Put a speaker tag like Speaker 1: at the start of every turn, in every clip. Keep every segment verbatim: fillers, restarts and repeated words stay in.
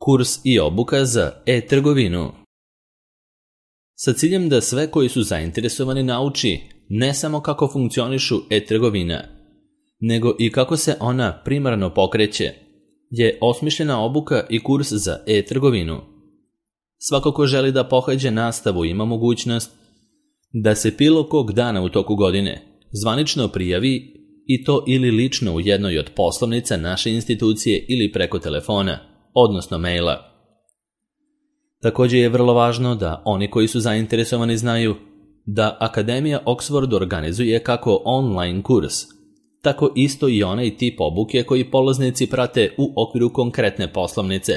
Speaker 1: Kurs i obuka za e-trgovinu. Sa ciljem da sve koji su zainteresovani nauči ne samo kako funkcionišu e-trgovina, nego i kako se ona primarno pokreće, je osmišljena obuka i kurs za e-trgovinu. Svako ko želi da pohađa nastavu ima mogućnost da se bilo kog dana u toku godine zvanično prijavi, i to ili lično u jednoj od poslovnica naše institucije ili preko telefona, odnosno maila. Također je vrlo važno da oni koji su zainteresovani znaju da Akademija Oxford organizuje kako online kurs, tako isto i onaj tip obuke koji polaznici prate u okviru konkretne poslovnice.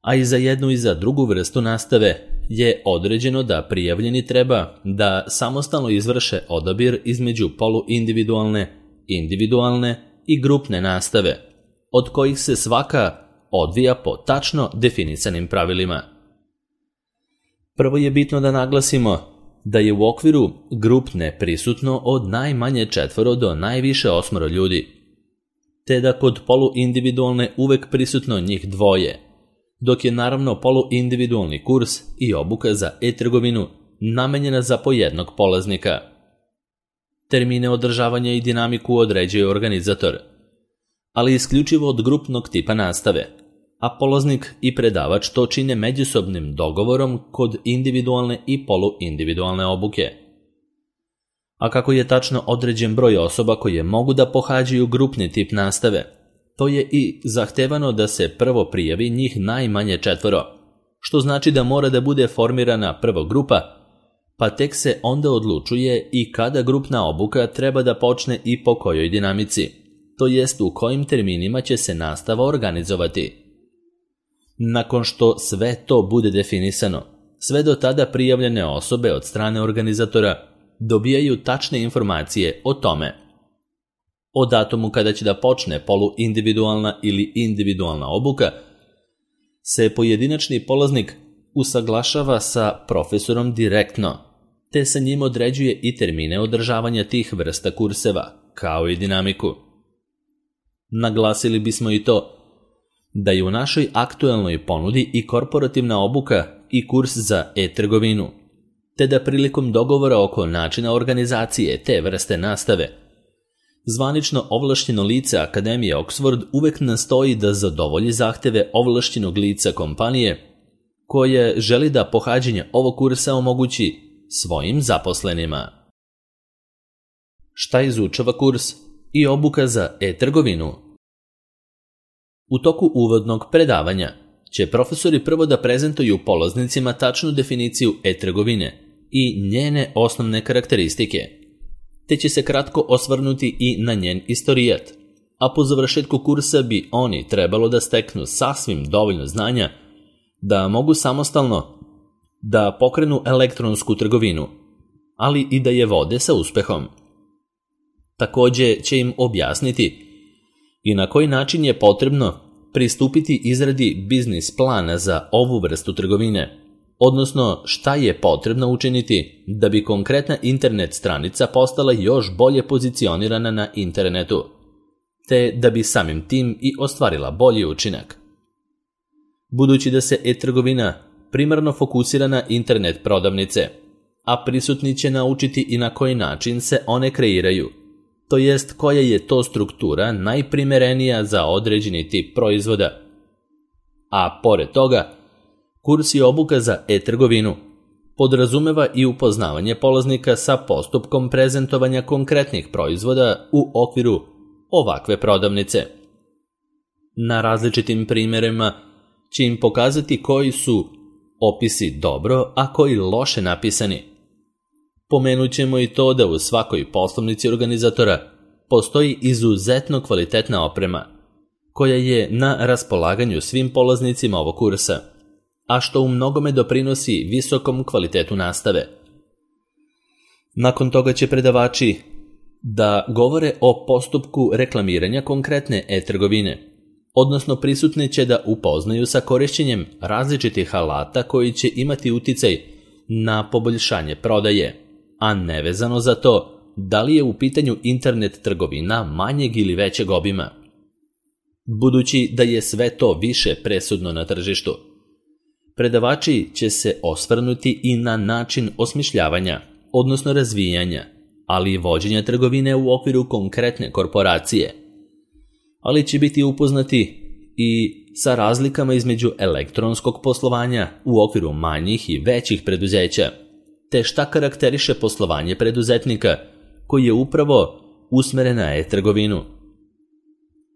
Speaker 1: A i za jednu i za drugu vrstu nastave je određeno da prijavljeni treba da samostalno izvrše odabir između poluindividualne, individualne i grupne nastave, od kojih se svaka odvija po tačno definisanim pravilima. Prvo je bitno da naglasimo da je u okviru grupne prisutno od najmanje četvoro do najviše osmoro ljudi, te da kod poluindividualne uvek prisutno njih dvoje, dok je naravno poluindividualni kurs i obuka za e-trgovinu namenjena za po jednog polaznika. Termine održavanja i dinamiku određuje organizator, ali isključivo od grupnog tipa nastave, a polaznik i predavač to čine međusobnim dogovorom kod individualne i poluindividualne obuke. A kako je tačno određen broj osoba koje mogu da pohađaju grupni tip nastave, to je i zahtevano da se prvo prijavi njih najmanje četvoro, što znači da mora da bude formirana prva grupa, pa tek se onda odlučuje i kada grupna obuka treba da počne i po kojoj dinamici, to jest u kojim terminima će se nastava organizovati. Nakon što sve to bude definisano, sve do tada prijavljene osobe od strane organizatora dobijaju tačne informacije o tome. O datumu kada će da počne poluindividualna ili individualna obuka se pojedinačni polaznik usaglašava sa profesorom direktno, te sa njim određuje i termine održavanja tih vrsta kurseva, kao i dinamiku. Naglasili bismo i to da je u našoj aktuelnoj ponudi i korporativna obuka i kurs za e-trgovinu, te da prilikom dogovora oko načina organizacije te vrste nastave, zvanično ovlašćeno lice Akademije Oxford uvek nastoji da zadovolji zahteve ovlašćenog lica kompanije koje želi da pohađanje ovog kursa omogući svojim zaposlenima. Šta izučava kurs i obuka za e-trgovinu? U toku uvodnog predavanja će profesori prvo da prezentuju polaznicima tačnu definiciju e-trgovine i njene osnovne karakteristike, te će se kratko osvrnuti i na njen istorijat, a po završetku kursa bi oni trebalo da steknu sasvim dovoljno znanja da mogu samostalno da pokrenu elektronsku trgovinu, ali i da je vode sa uspehom. Također će im objasniti i na koji način je potrebno pristupiti izradi biznis plana za ovu vrstu trgovine, odnosno šta je potrebno učiniti da bi konkretna internet stranica postala još bolje pozicionirana na internetu, te da bi samim tim i ostvarila bolji učinak. Budući da se e-trgovina primarno fokusira na internet prodavnice, a prisutni će naučiti i na koji način se one kreiraju, to jest koja je to struktura najprimerenija za određeni tip proizvoda. A pored toga, kurs i obuka za e-trgovinu podrazumeva i upoznavanje polaznika sa postupkom prezentovanja konkretnih proizvoda u okviru ovakve prodavnice. Na različitim primjerima će im pokazati koji su opisi dobro, a koji loše napisani. Pomenut ćemo i to da u svakoj poslovnici organizatora postoji izuzetno kvalitetna oprema, koja je na raspolaganju svim polaznicima ovog kursa, a što u mnogome doprinosi visokom kvalitetu nastave. Nakon toga će predavači da govore o postupku reklamiranja konkretne e-trgovine, odnosno prisutni će da upoznaju sa korišćenjem različitih alata koji će imati uticaj na poboljšanje prodaje, a nevezano za to da li je u pitanju internet trgovina manjeg ili većeg obima. budući da je sve to više presudno na tržištu. Predavači će se osvrnuti i na način osmišljavanja, odnosno razvijanja, ali i vođenja trgovine u okviru konkretne korporacije. Ali će biti upoznati i sa razlikama između elektronskog poslovanja u okviru manjih i većih preduzeća, te šta karakteriše poslovanje preduzetnika koji je upravo usmeren na e-trgovinu.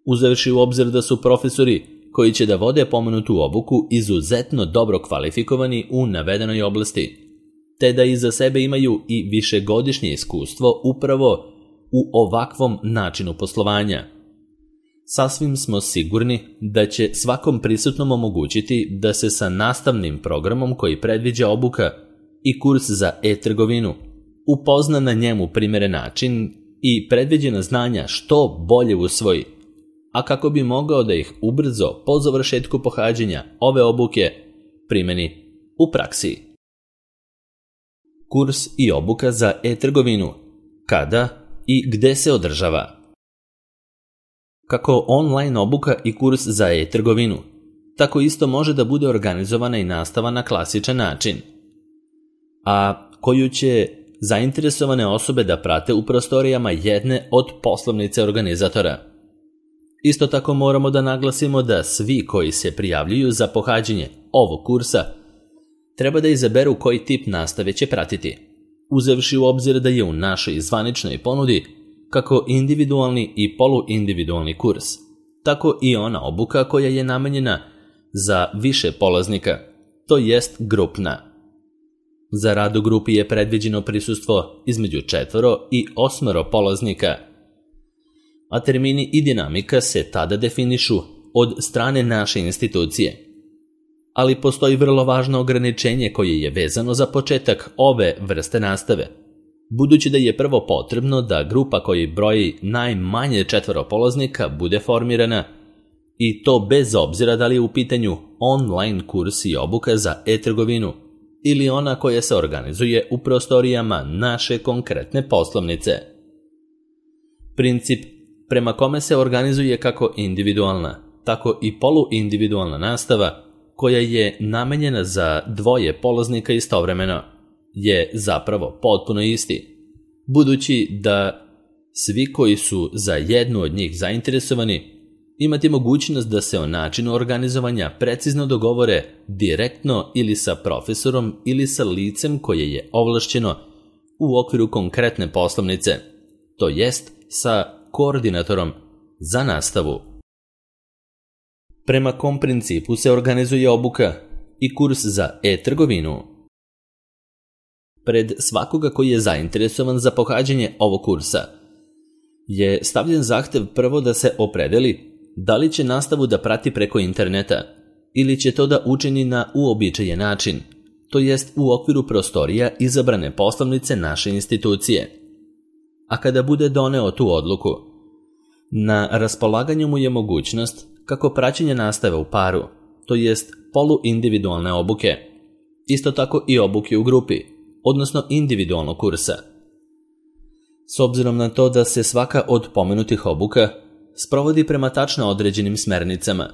Speaker 1: Uzevši u obzir da su profesori koji će da vode pomenutu obuku izuzetno dobro kvalifikovani u navedenoj oblasti, te da iza sebe imaju i višegodišnje iskustvo upravo u ovakvom načinu poslovanja. Sasvim smo sigurni da će svakom prisutnom omogućiti da se sa nastavnim programom koji predviđa obuka i kurs za e-trgovinu upozna na njemu primjeren način i predviđena znanja što bolje usvoji, a kako bi mogao da ih ubrzo po završetku pohađanja ove obuke primeni u praksi. Kurs i obuka za e-trgovinu. Kada i gde se održava? Kako online obuka i kurs za e-trgovinu, tako isto može da bude organizovana i nastava na klasičan način, a koju će zainteresovane osobe da prate u prostorijama jedne od poslovnice organizatora. Isto tako moramo da naglasimo da svi koji se prijavljuju za pohađanje ovog kursa treba da izaberu koji tip nastave će pratiti, uzevši u obzir da je u našoj zvaničnoj ponudi kako individualni i poluindividualni kurs, tako i ona obuka koja je namenjena za više polaznika, to jest grupna. Za rad u grupi je predviđeno prisustvo između četvoro i osmoro polaznika, a termini i dinamika se tada definišu od strane naše institucije. Ali postoji vrlo važno ograničenje koje je vezano za početak ove vrste nastave, budući da je prvo potrebno da grupa koji broji najmanje četvoro polaznika bude formirana, i to bez obzira da li je u pitanju online kurs i obuka za e-trgovinu ili ona koja se organizuje u prostorijama naše konkretne poslovnice. Princip prema kome se organizuje kako individualna, tako i poluindividualna nastava koja je namenjena za dvoje polaznika istovremeno je zapravo potpuno isti, budući da svi koji su za jednu od njih zainteresovani imati mogućnost da se o načinu organizovanja precizno dogovore direktno ili sa profesorom ili sa licem koje je ovlašćeno u okviru konkretne poslovnice, to jest sa koordinatorom za nastavu. Prema kom principu se organizuje obuka i kurs za e-trgovinu? Pred svakoga koji je zainteresovan za pohađanje ovog kursa je stavljen zahtev prvo da se opredeli da li će nastavu da prati preko interneta ili će to da učini na uobičajen način, to jest u okviru prostorija izabrane poslovnice naše institucije. A kada bude doneo tu odluku, na raspolaganju mu je mogućnost kako praćenje nastave u paru, to jest poluindividualne obuke, isto tako i obuke u grupi, odnosno individualnog kursa. S obzirom na to da se svaka od pomenutih obuka sprovodi prema tačno određenim smernicama,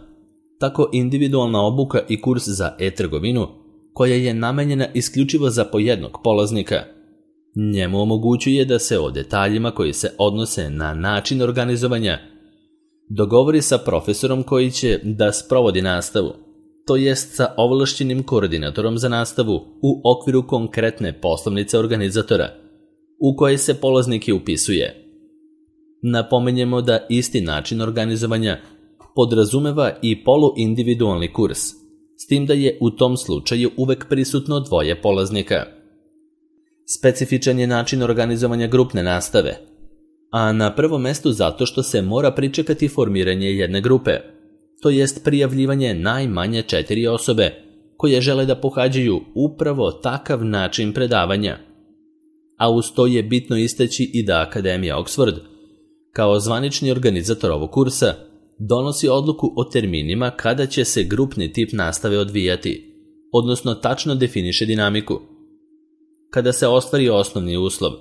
Speaker 1: tako individualna obuka i kurs za e-trgovinu, koja je namenjena isključivo za po jednog polaznika, njemu omogućuje da se o detaljima koji se odnose na način organizovanja dogovori sa profesorom koji će da sprovodi nastavu, to jest sa ovlašćenim koordinatorom za nastavu u okviru konkretne poslovnice organizatora u kojoj se polaznik i upisuje. Napomenjemo da isti način organizovanja podrazumeva i poluindividualni kurs, s tim da je u tom slučaju uvek prisutno dvoje polaznika. Specifičan je način organizovanja grupne nastave, a na prvom mestu zato što se mora pričekati formiranje jedne grupe, to jest prijavljivanje najmanje četiri osobe koje žele da pohađaju upravo takav način predavanja. A uz to je bitno istaći i da Akademija Oxford, kao zvanični organizator ovog kursa, donosi odluku o terminima kada će se grupni tip nastave odvijati, odnosno tačno definiše dinamiku. Kada se ostvari osnovni uslov,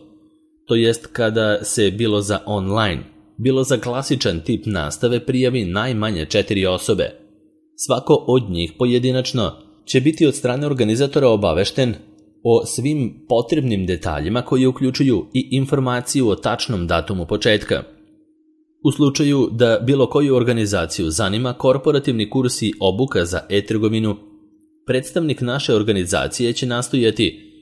Speaker 1: to jest kada se bilo za online, bilo za klasičan tip nastave prijavi najmanje četiri osobe. Svako od njih pojedinačno će biti od strane organizatora obavešten o svim potrebnim detaljima koji uključuju i informaciju o tačnom datumu početka. U slučaju da bilo koju organizaciju zanima korporativni kurs i obuka za e-trgovinu, predstavnik naše organizacije će nastojati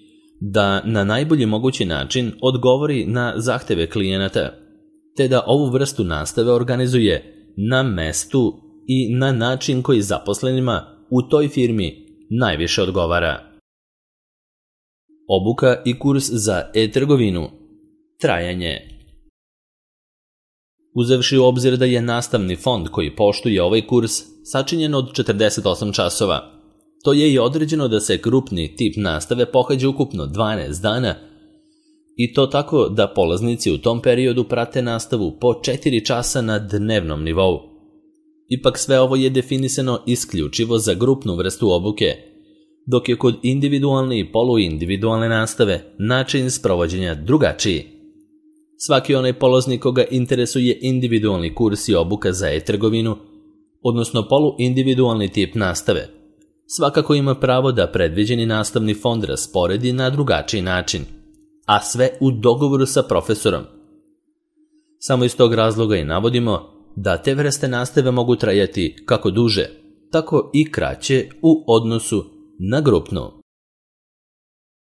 Speaker 1: da na najbolji mogući način odgovori na zahteve klijenata, te da ovu vrstu nastave organizuje na mestu i na način koji zaposlenima u toj firmi najviše odgovara. Obuka i kurs za e-trgovinu. Trajanje. Uzevši u obzir da je nastavni fond koji poštuje ovaj kurs sačinjen od četrdeset osam časova, to je i određeno da se grupni tip nastave pohađa ukupno dvanaest dana i to tako da polaznici u tom periodu prate nastavu po četiri časa na dnevnom nivou. Ipak sve ovo je definisano isključivo za grupnu vrstu obuke, dok je kod individualne i poluindividualne nastave način sprovođenja drugačiji. Svaki onaj polaznik koga interesuje individualni kurs i obuka za e-trgovinu, odnosno poluindividualni tip nastave, svakako ima pravo da predviđeni nastavni fond rasporedi na drugačiji način, a sve u dogovoru sa profesorom. Samo iz tog razloga i navodimo da te vrste nastave mogu trajati kako duže, tako i kraće u odnosu na grupnu.